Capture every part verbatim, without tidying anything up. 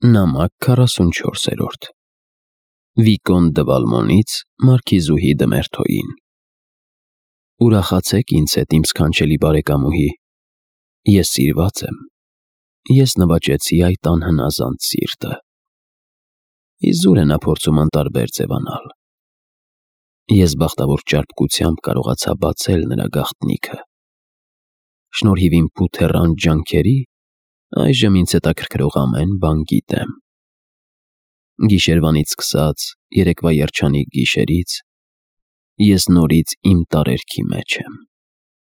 Նամակ քառասունչորսերորդ Վիկոն դը Վալմոնից մարքիզուհի դը Մերթոյին Ուրախացեք ինձ հետ, իմ սքանչելի բարեկամուհի, ես սիրված եմ, ես նվաճեցի այդ անհնազանդ սիրտը, իզուր է նա փորձում անտարբեր ձևանալ, ես բախտավոր ճարպկությամբ կարողացա բացել նրա գաղտնիքը, շնորհիվ իմ փութեռանդ ջանքերի, այժմ ինձ հետաքրքրող ամեն բան գիտեմ, գիշերվանից սկսած երեկվա երջանիկ գիշերից, ես նորից իմ տարերքի մեջ եմ,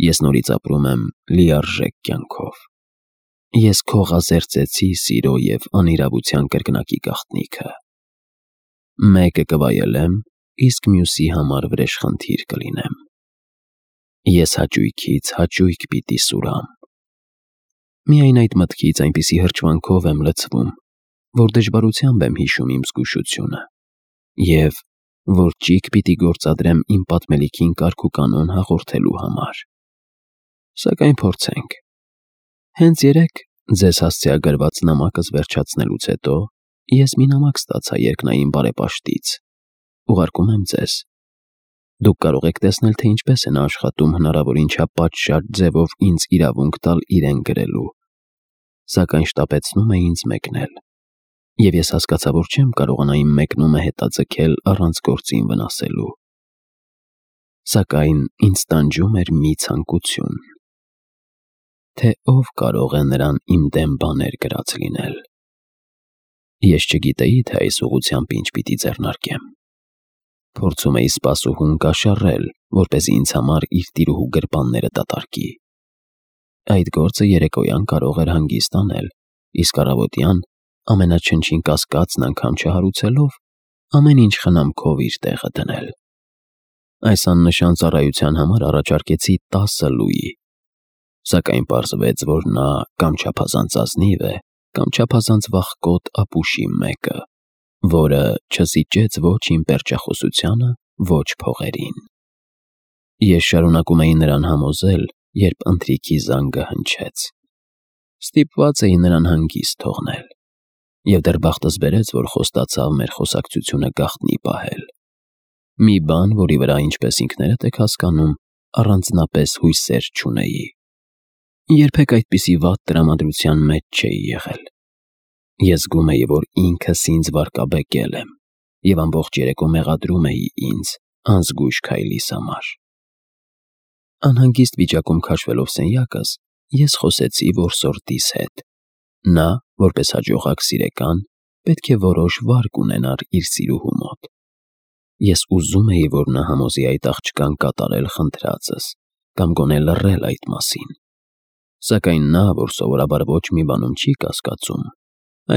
ես նորից ապրում եմ լիարժեք կյանքով, ես քողազերծեցի սիրո և անիրավության կրկնակի գաղտնիքը, մեկը կվայելեմ, իսկ մյուսի համար վրեժխնդիր կլինեմ, ես հաճույքից հաճույք պիտի սուրամ, միայն այդ մտքից այնպիսի հրճվանքով եմ լցվում, որ դժվարությամբ եմ հիշում իմ զգուշությունը և որ ճիգ պիտի գործադրեմ իմ պատմելիքին կարգ ու կանոն հաղորդելու համար, սակայն փորձենք, հենց երեկ ձեզ հասցեագրված նամակս վերջացնելուց հետո ես մի նամակ ստացա երկնային բարեպաշտից, ուղարկում եմ ձեզ, դուք կարող եք տեսնել, թե ինչպես է նա աշխատում հնարավորին չափ պատշաճ ձևով ինձ իրավունք տալ իրեն գրելու, սակայն շտապեցնում է ինձ մեկնել, և ես հասկացա, որ չեմ կարողանա իմ մեկնումը հետաձգել առանց գործին վնասելու, սակայն ինձ տանջում էր մի ցանկություն, թե ով կարող է նրան իմ դեմ բաներ գրած լինել, ես չգիտեի, թե այս ուղղությամբ ինչ պիտի ձեռնարկեմ, փորձում էի սպասուհուն կաշառել, որպեսզի ինձ համար իր տիրուհու գրպանները դատարկի, այդ գործը երեկոյան կարող էր հանգիստ անել, իսկ առավոտյան ամենաչնչին կասկածն անգամ չհարուցելով, ամեն ինչ խնամքով իր տեղը դնել, այս աննշան ծառայության համար առաջարկեցի տասը լուի, սակայն պարզվեց, որ նա կամ չափազանց ազնիվ է, կամ չափազանց վախկոտ ապուշի մեկը, որը չզիջեց ոչ իմ պերճախոսությանը, ոչ փողերին, ես շարունակում էի նրան համոզել, երբ ընթրիքի զանգը հնչեց, ստիպված էի նրան հանգիստ թողնել, և դեռ բախտս բերեց, որ խոստացավ մեր խոսակցությունը գաղտնի պահել, մի բան, որի վրա, ինչպես ինքներդ եք հասկանում, առանձնապես հույսեր չունեի, երբեք այդպիսի վատ տրամադրության մեջ չէի եղել, ես զգում էի, որ ինքս ինձ վարկաբեկել եմ, և ամբողջ երեկո մեղադրում էի ինձ անզգույշ քայլիս համար, անհանգիստ վիճակում քաշվելով սենյակս, ես խոսեցի որսորդիս հետ, նա, որպես հաջողակ սիրեկան, պետք է որոշ վարկ ունենար իր սիրուհու մոտ, ես ուզում էի, որ նա համոզի այդ աղջկան կատարել խնդրածս, կամ գոնե լռել այդ մասին, սակայն նա, որ սովորաբար ոչ մի բանում չի կասկածում,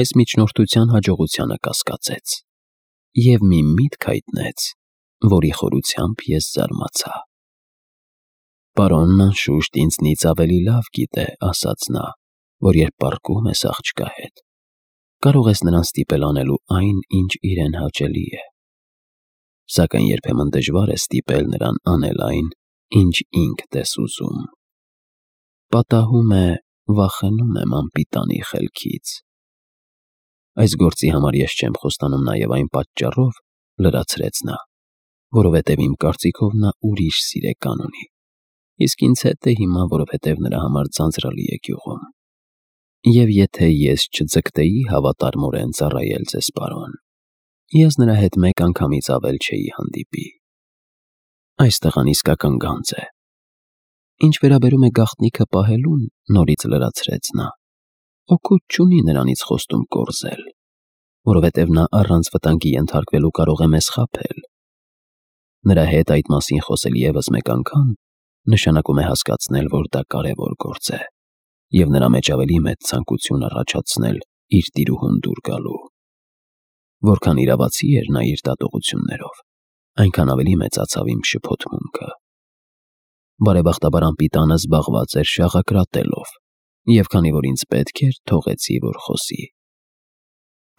այս միջնորդության հաջողությանը կասկածեց, և մի միտք հայտնեց, որի խորությամբ ես զարմացա, պարոնն անշուշտ ինձնից ավելի լավ գիտե, ասաց նա, որ երբ պառկում ես աղջկա հետ, կարող ես նրան ստիպել անելու այն, ինչ իրեն հաճելի է, սակայն երբեմն դժվար է ստիպել նրան անել այն, ինչ ինքդ ես ուզում, պատահում է, վախենում եմ անպիտանի խելքից, այս գործի համար ես չեմ խոստանում նաև այն պատճառով, լրացրեց նա, որովհետև իմ կարծիքով նա ուրիշ սիրեկան ունի, իսկ ինձ հետ է հիմա, որովհետև նրա համար ձանձրալի է գյուղում, և եթե ես չձգտեի հավատարմորեն ծառայել ձեզ, պարոն, ես նրա հետ մեկ անգամից ավել չէի հանդիպի, այս տղան իսկական գանձ է, ինչ վերաբերում է գաղտնիքը պահելուն, նորից լրացրեց նա, օգուտ չունի նրանից խոստում կորզել, որովհետև նա առանց վտանգի ենթարկվելու կարող է մեզ խաբել, նրա հետ այդ մասին խոսել ևս մեկ անգամ, նշանակում է հասկացնել, որ դա կարևոր գործ է, և նրա մեջ ավելի մեծ ցանկություն առաջացնել իր տիրուհուն դուր գալու, որքան իրավացի էր նա իր դատողություններով, այնքան ավելի մեծացավ իմ շփոթմունքը, բարեբախտաբար անպիտանը զբաղված էր շաղակրատելով, և քանի որ ինձ պետք էր, թողեցի, որ խոսի,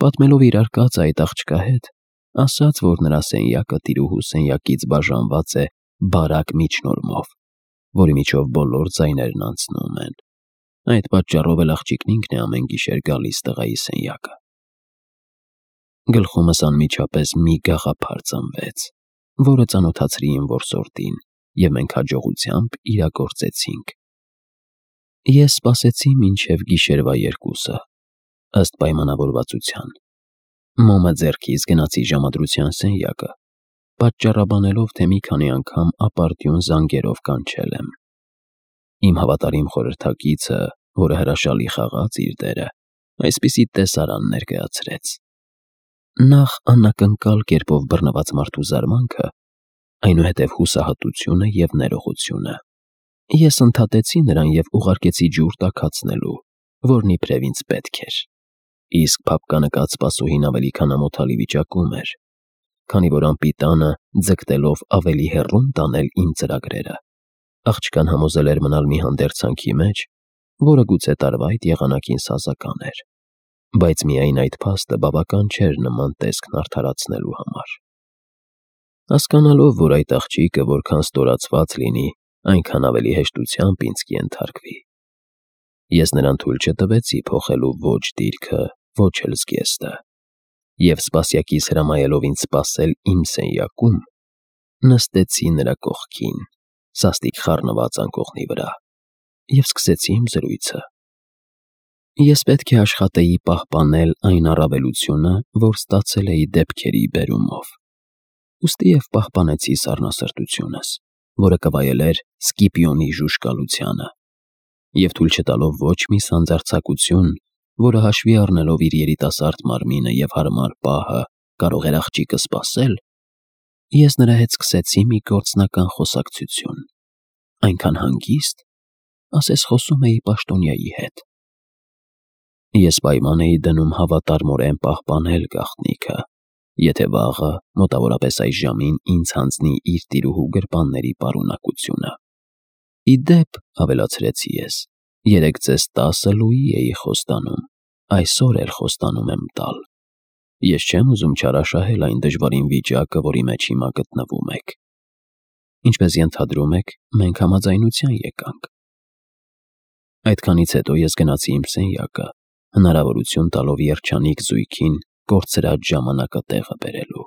պատմելով իր արկածը այդ աղջկա հետ, ասաց, որ նրա սենյակը տիրուհու սենյակից բաժանված է բարակ միջնորմով, որի միջով բոլոր ձայներն անցնում են, այդ պատճառով էլ աղջիկն ինքն է ամեն գիշեր գալիս տղայի սենյակը, Գլխումս անմիջապես մի գաղափար ծնվեց, որը ծանոթացրի իմ որսորդին, և մենք հաջողությամբ իրագործեցինք։ Ես սպասեցի մինչև գիշերվա երկուսը, ըստ պայմանավորվածության։ Մոմը ձեռքից գնացի ժամադրության սենյակը, պատճառաբանելով, թե մի քանի անգամ ապարդյուն զանգերով կանչել եմ։ Իմ հավատարիմ խորհրդակիցը, որը հրաշալի խաղաց իր դերը, այսպիսի տեսարան ներկայացրեց։ Նախ անակնկալ կերպով բռնված մարդու զարմանքը, այնուհետև հուսահատությունը և ներողությունը։ Ես ընդհատեցի նրան և ուղարկեցի ջուր տաքացնելու, որն իբրև ինձ պետք էր։ Իսկ փափկանկած սպասուհին ավելի քան ամոթալի վիճակում էր, քանի որ անպիտանը ձգտելով ավելի հեռուն տանել իմ ծրագրերը, աղջկան համոզել էր մնալ մի հանդերձանքի մեջ, որը գուցե տարվա այդ եղանակին սազական էր, բայց միայն այդ փաստը բավական չէր նման տեսքն արդարացնելու համար։ Հասկանալով, որ այդ աղջիկը որքան ստորացված լինի, այնքան ավելի հեշտությամբ ինձ կենթարկվի, ես նրան թույլ չտվեցի փոխելու ոչ դիրքը, ոչ էլ զգեստը, և սպասյակիս հրամայելով ինձ սպասել իմ սենյակում, նստեցի նրա կողքին, սաստիկ խառնված անկողնի վրա, և սկսեցի իմ զրույցը։ Ես պետք է աշխատեի պահպանել այն առավելությունը, որ ստացել էի դեպքերի բերումով, ուստի և պահպանեցի սառնասրտությունս, որը կվայելեր Սկիպիոնի ժուժկալությանը, և թույլ չտալով ոչ մի սանձարձակություն, որը հաշվի առնելով իր երիտասարդ մարմինը և հարմար պահը կարող էր աղջիկը սպասել, ես նրա հետ սկսեցի մի գործնական խոսակցություն, այնքան հանգիստ, ասես խոսում էի պաշտոնյայի հետ։ Ես պայման էի դնում հավատարմորեն պահպանել գաղտնիքը, եթե վաղը, մոտավորապես այս ժամին, ինձ հանձնի իր տիրուհու գրպանների պարունակությունը։ Ի դեպ, ավելացրեցի ես, երեկ ձեզ տասը լուի էի խոստանում, այսօր էլ խոստանում եմ տալ։ Ես չեմ ուզում չարաշահել այն դժվարին վիճակը, որի մեջ հիմա գտնվում եք։ Ինչպես ենթադրում եք, մենք համաձայնության եկանք։ Այդքանից հետո ես գնացի իմ սենյակը, հնարավորություն տալով երջանիկ զույգին կորցրած ժամանակը տեղը բերելու։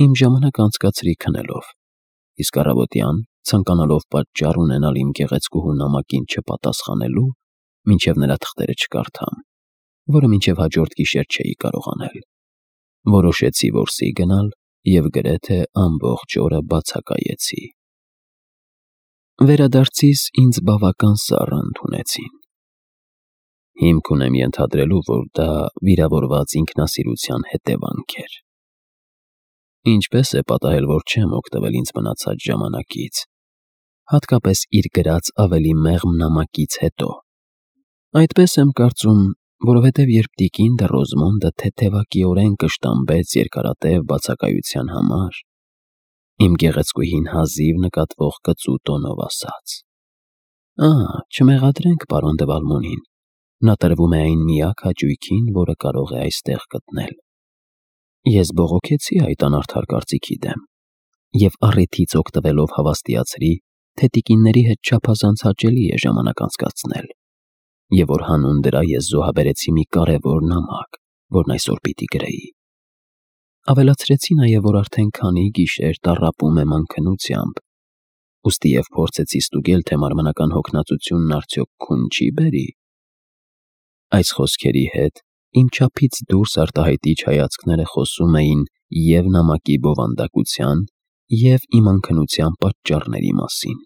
Իմ ժամանակը անցկացրի քնելով, իսկ առավոտյան, ցանկանալով պատճառ ունենալ իմ գեղեցկուհու նամակին չպատասխանելու, մինչև նրա թղթերը չկարդամ, որը մինչև հաջորդ գիշեր չէի կարող անել, որոշեցի որսի գնալ և գրեթե ամբողջ օրը բացակայեցի։ Վերադարձիս ինձ բավական սառը ընդունեցին։ Հիմք ունեմ ենթադրելու, որ դա վիրավորված ինքնասիրության հետևանք էր։ Ինչպես է պատահել, որ չեմ օգտվել ինձ մնացած ժամանակից, հատկապես իր գրած ավելի մեղմ նամակից հետո։ Այդպես եմ կարծում, որովհետև երբ տիկին դը Ռոզմոնդը թեթևակիորեն կշտամբեց երկարատև բացակայության համար, իմ գեղեցկուհին հազիվ նկատվող կծու տոնով ասաց. «Ահա, չմեղադրենք պարոն դը Վալմոնին, նա տրվում է այն միակ հաճույքին, որը կարող է այստեղ գտնել»։ Ես բողոքեցի այդ անարդար կարծիքի դեմ և առիթից օգտվելով հավաստիացրի, թե տիկինների հետ չափազանց հաճելի է ժամանակ անցկացնել, և որ հանուն դրա ես զոհաբերեցի մի կարևոր նամակ, որն այսօր պիտի գրեի։ Ավելացրեցի նաև, որ արդեն քանի գիշեր տառապում եմ անքնությամբ, ուստի և փորձեցի ստուգել, թե մարմնական հոգնածությունն արդյոք քուն չի բերի։ Այս խոսքերի հետ իմ չափից դուրս արտահայտիչ հայացքները խոսում էին և նամակի բովանդակության, և իմ անքնության պատճառների մասին։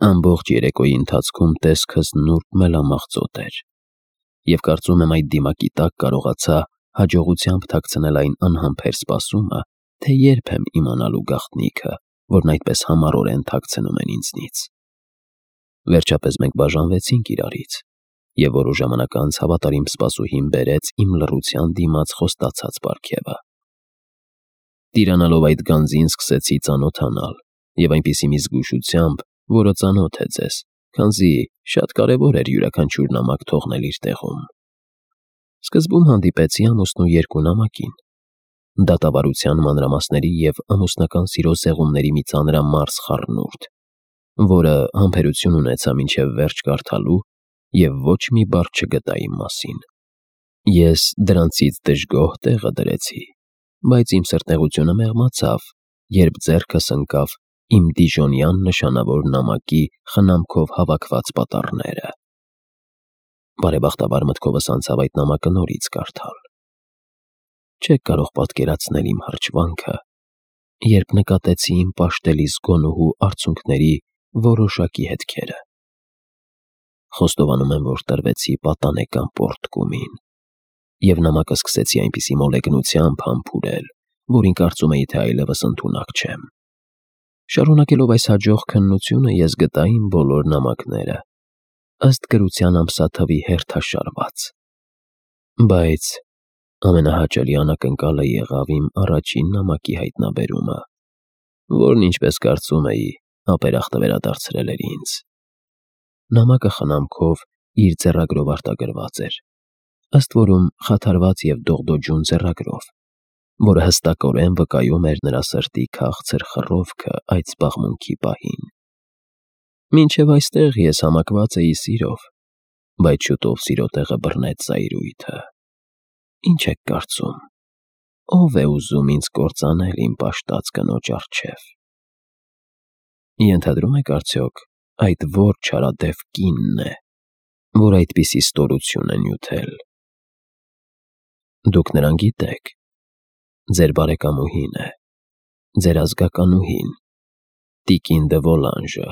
Ամբողջ երեկոյի ընթացքում տեսքս նուրբ մելամաղձոտ էր, և կարծում եմ այդ դիմակի տակ կարողացա հաջողությամբ թաքցնել այն անհամբեր սպասումը, թե երբ եմ իմանալու գաղտնիքը, որն այդպես համառորեն թաքցնում են ինձնից։ Վերջապես մենք բաժանվեցինք իրարից, և որոշ ժամանակ անց հավատարիմ սպասուհին բերեց իմ լռության դիմաց խոստացած պարգևը։ Տիրանալով այդ գանձին սկսեցի ծանոթանալ, և այնպիսի մի զգուշությամբ, որը ծանոթ է ձեզ, քանզի շատ կարևոր էր յուրաքանչյուր նամակ թողնել իր տեղում։ Սկզբում հանդիպեցի ամուսնու երկու նամակին, դատավարության մանրամասների և ամուսնական սիրո զեղումների մի ծանրամարս խառնուրդ, որը համբերություն ունեցա մինչև վերջ կարդալու և ոչ մի բառ չգտա իմ մասին։ Ես դրանցից դժգոհ տեղը դրեցի, բայց իմ սրտեղությունը մեղմացավ, երբ ձեռքս ընկավ իմ դիժոնյան նշանավոր նամակի խնամքով հավաքված պատառները։ Բարեբախտաբար մտքովս անցավ այդ նամակը նորից կարդալ։ Չեք կարող պատկերացնել իմ հրճվանքը, երբ նկատեցի իմ պաշտելի զգոնուհու արցունքների որոշակի հետքերը։ Խոստովանում եմ, որ տրվեցի պատանեկան պոռթկումին, և նամակը սկսեցի այնպիսի մոլեգնությամբ համբուրել, որին կարծում էի, թե այլևս ընդունակ չեմ։ Շարունակելով այս հաջող քննությունը, ես գտա իմ բոլոր նամակները, ըստ գրության ամսաթվի հերթաշարված։ Բայց ամենահաճելի անակնկալը եղավ իմ առաջին նամակի հայտնաբերումը, որն, ինչպես կարծում էի, ապերախտը վերադարձրել էր ինձ։ Նամակը խնամքով իր ձեռագրով արտագրված էր, ըստ որում խաթարված և դողդոջուն ձեռագրով, որը հստակորեն վկայում էր նրա սրտի քաղցր խռովքը այդ զբաղմունքի պահին։ Մինչև այստեղ ես համակված էի սիրով, բայց շուտով սիրո տեղը բռնեց զայրույթը։ Ինչ եք կարծում, ո՞վ է ուզում ինձ կործանել իմ պաշտած կնոջ առջև։ Ենթադրում եք արդյոք այդ որ չարադև կինն է, որ այդպիսի ստորություն է նյութել։ Դուք նրան գիտեք, ձեր բարեկամուհին է, ձեր ազգականուհին, տիկին դը Վոլանժը։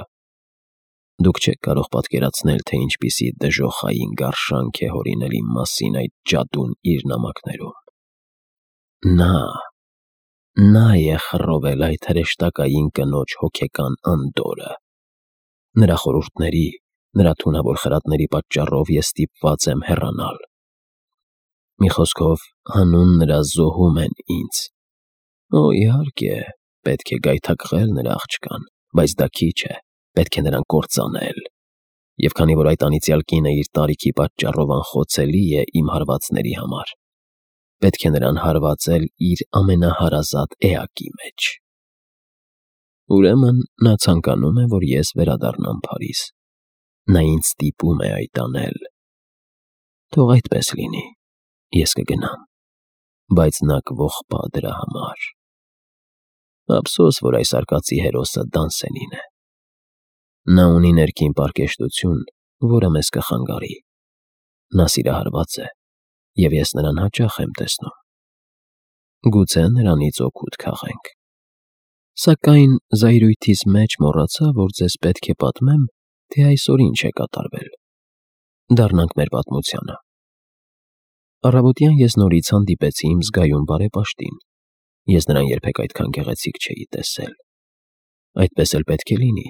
Դուք չեք կարող պատկերացնել, թե ինչպիսի դժոխային գարշանք է հորինել իմ մասին այդ ջադուն իր նամակներում։ Նա, նա է խռովել այդ հրեշտակային կնոջ հոգեկան անդորրը։ Նրա խորհուրդների, նրա թունավոր խրատների պատճառով ես ստիպված եմ հեռանալ։ Մի խոսքով, հանուն նրա զոհում են ինձ։ Օ, իհարկե, պետք է գայթակղել նրա աղջկան, բայց դա քիչ է, պետք է նրան կործանել։ Եվ քանի որ այդ անիծյալ կինը իր տարիքի պատճառով անխոցելի է իմ հարվածների համար, պետք է նրան հարվածել իր ամենահարազատ էակի մեջ։ Ուրեմն նա ցանկանում է, որ ես վերադառնամ Փարիզ։ Նա ինձ ստիպում է այդ անել։ Թող այդպես լինի, ես կգնամ, բայց նա կողպա դրա համար։ Ափսոս, որ այս արկածի հերոսը Դանսենին է։ Նա ունի ներքին պարկեշտություն, որը մեզ կխանգարի։ Նա սիրահարված է, և ես նրան հաճախ եմ տեսնում։ Գուցե նրանից օգուտ քաղենք։ Սակայն զայրույթիս մեջ մոռացա, որ ձեզ պետք է պատմեմ, թե այսօր ինչ է կատարվել։ Դառնանք մեր պատմությանը։ Առավոտյան ես նորից հանդիպեցի իմ զգայուն բարեպաշտին։ Ես նրան երբեք այդքան գեղեցիկ չէի տեսել։ Այդպես էլ պետք է լինի։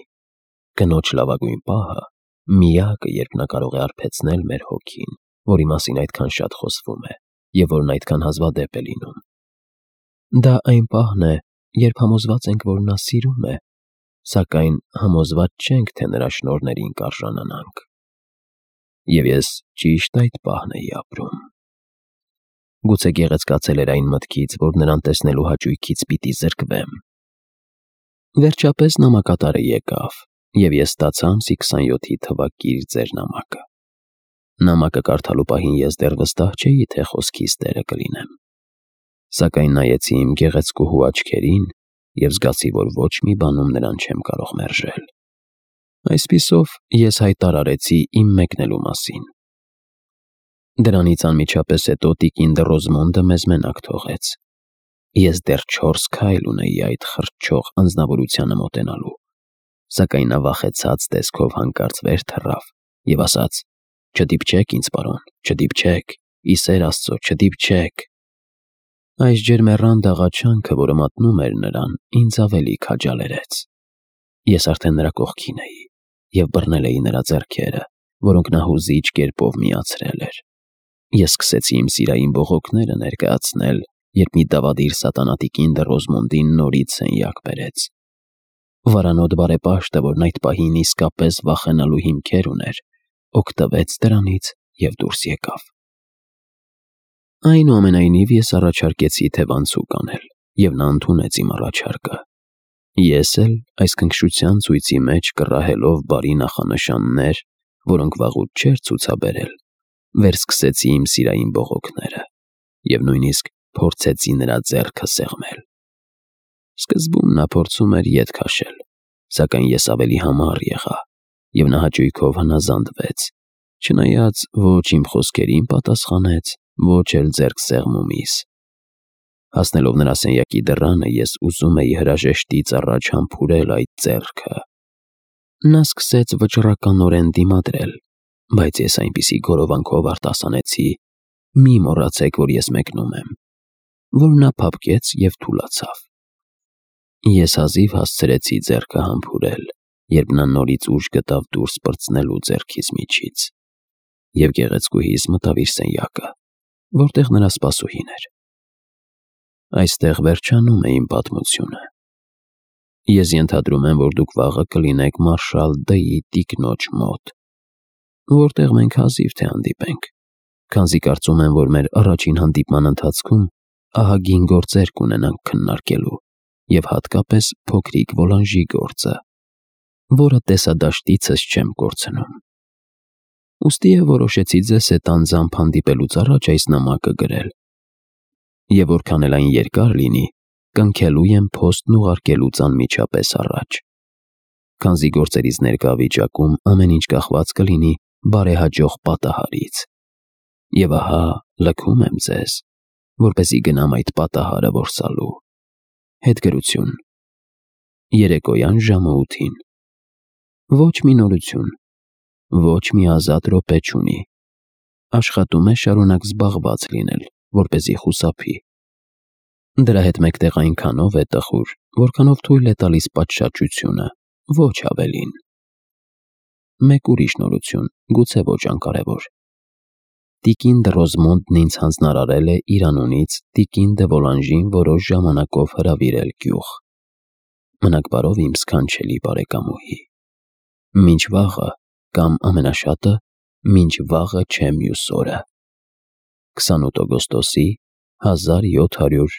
Կնոջ լավագույն պահը, միակը, երբ նա կարող է արբեցնել մեր հոգին, որի մասին այդքան շատ խոսվում է, և որն այդքան հազվադեպ է լինում։ Դա այն պահն է, երբ համոզված ենք, որ նա սիրում է, սակայն համոզված չենք, թե նրա շնորհներին կարժանանանք։ Եվ ես ճիշտ այդ պահն էի ապրում։ Գուցե գեղեցկացել էր այն մտքից, որ նրան տեսնելու հաճույքից պիտի զրկվեմ։ Վերջապես նամակատարը եկավ, և ես ստացա ամսի քսանյոթի թվակիր ձեր նամակը։ Նամակը կարդալու պահին ես դեռ վստահ չէի, թե խոսքիս տերը կլինեմ։ Սակայն նայեցի իմ գեղեցկուհու աչքերին և զգացի, որ ոչ մի բանում նրան չեմ կարող մերժել։ Այսպիսով ես հայտարարեցի իմ մեկնելու մասին։ Դրանից անմիջապես հետո տիկին դը Ռոզմոնդը մեզ մենակ թողեց։ Ես դեռ չորս քայլ ունեի այդ խրճող անձնավորությանը մոտենալու, սակայն նա վախեցած տեսքով հանկարծ վեր թռավ և ասաց. «Չդիպչեք ինձ, պարոն, չդիպչեք, ի սեր Աստծո, չդիպչեք»։ Այս ջերմեռանդ աղաչանքը, որը մատնում էր նրան, ինձ ավելի քաջալերեց։ Ես արդեն նրա կողքին էի և բռնել էի նրա ձեռքերը, որոնք նա հուզիչ կերպով միացրել էր։ Ես սկսեցի իմ սիրային բողոքները ներկայացնել, երբ մի դավադիր սատանատիկին դը Ռոզմոնդին նորից սենյակ բերեց։ Վարանոտ բարեպաշտը, որն այդ պահին իսկապես վախենալու հիմքեր ուներ, օգտվեց դրանից և դուրս եկավ։ Այնուամենայնիվ ես առաջարկեցի թևանցուկ անել, և նա ընդունեց իմ առաջարկը։ Ես էլ այս քնքշության ցույցի մեջ կռահելով բարի նախանշաններ, որոնք վաղուց չէր ցուցաբերել, վերսկսեցի իմ սիրային բողոքները և նույնիսկ փորձեցի նրա ձեռքը սեղմել։ Սկզբում նա փորձում էր ետ քաշել, սակայն ես ավելի համառ եղա, և նա հաճույքով հնազանդվեց, չնայած ոչ իմ խոսքերին պատասխանեց, ոչ էլ ձեռքսեղմումիս։ Հասնելով նրա սենյակի դռանը, ես ուզում էի հրաժեշտից առաջ համբուրել այդ ձեռքը։ Նա սկսեց վճռականորեն դիմադրել, բայց ես այնպիսի գորովանքով արտասանեցի. «Մի մոռացեք, որ ես մեկնում եմ», որ նա փափկեց և թուլացավ։ Ես հազիվ հասցրեցի ձեռքը համբուրել, երբ նա նորից ուժ գտավ դուրս պրծնելու ձեռքիս միջից, և գեղեցկուհիս մտավ իր սենյակը, որտեղ նրա սպասուհին էր։ Այստեղ վերջանում է իմ պատմությունը։ Ես ենթադրում եմ, որ դուք վաղը կլինեք մարշալ Դ-ի տիկնոջ մոտ, որտեղ մենք հազիվ թե հանդիպենք, քանզի կարծում եմ, որ մեր առաջին հանդիպման ընթացքում ահագին գործեր կունենանք քննարկելու և հատկապես փոքրիկ Ոլանժի գործը, որը տեսադաշտիցս չեմ կորցնում։ Ուստի և որոշեցի ձեզ հետ անձամբ հանդիպելուց առաջ այս նամակը գրել, և որքան էլ այն երկար լինի, կնքելու եմ փոստն ուղարկելուց անմիջապես առաջ, քանզի գործերիս ներկա վիճակում ամեն ինչ կախված կլինի բարեհաջող պատահարից։ Եվ ահա լքում եմ ձեզ, որպեսզի գնամ այդ պատահարը որսալու։ Հետգրություն. երեկոյան ժամը ութին։ Ոչ մի նորություն, ոչ մի ազատ րոպե չունի։ Աշխատում է շարունակ զբաղված լինել, որպեսզի խուսափի։ Դրա հետ մեկտեղ այնքանով է տխուր, որքանով թույլ է տալիս պատշաճությունը, ոչ ավելին։ Մեկ ուրիշ նորություն, գուցե ոչ անկարևոր. Տիկին Դ'Ռոզմոնդն ինձ հանձնարարել է իր անունից տիկին դե Ոլանժին որոշ ժամանակով հրավիրել գյուղ։ Մնաք բարով, իմ սքանչելի բարեկամուհի։ Մինչ վաղը, կամ ամենաշատը, մինչ վաղը չէ մյուս օրը։ քսանութ օգոստոսի հազար յոթ հարյուր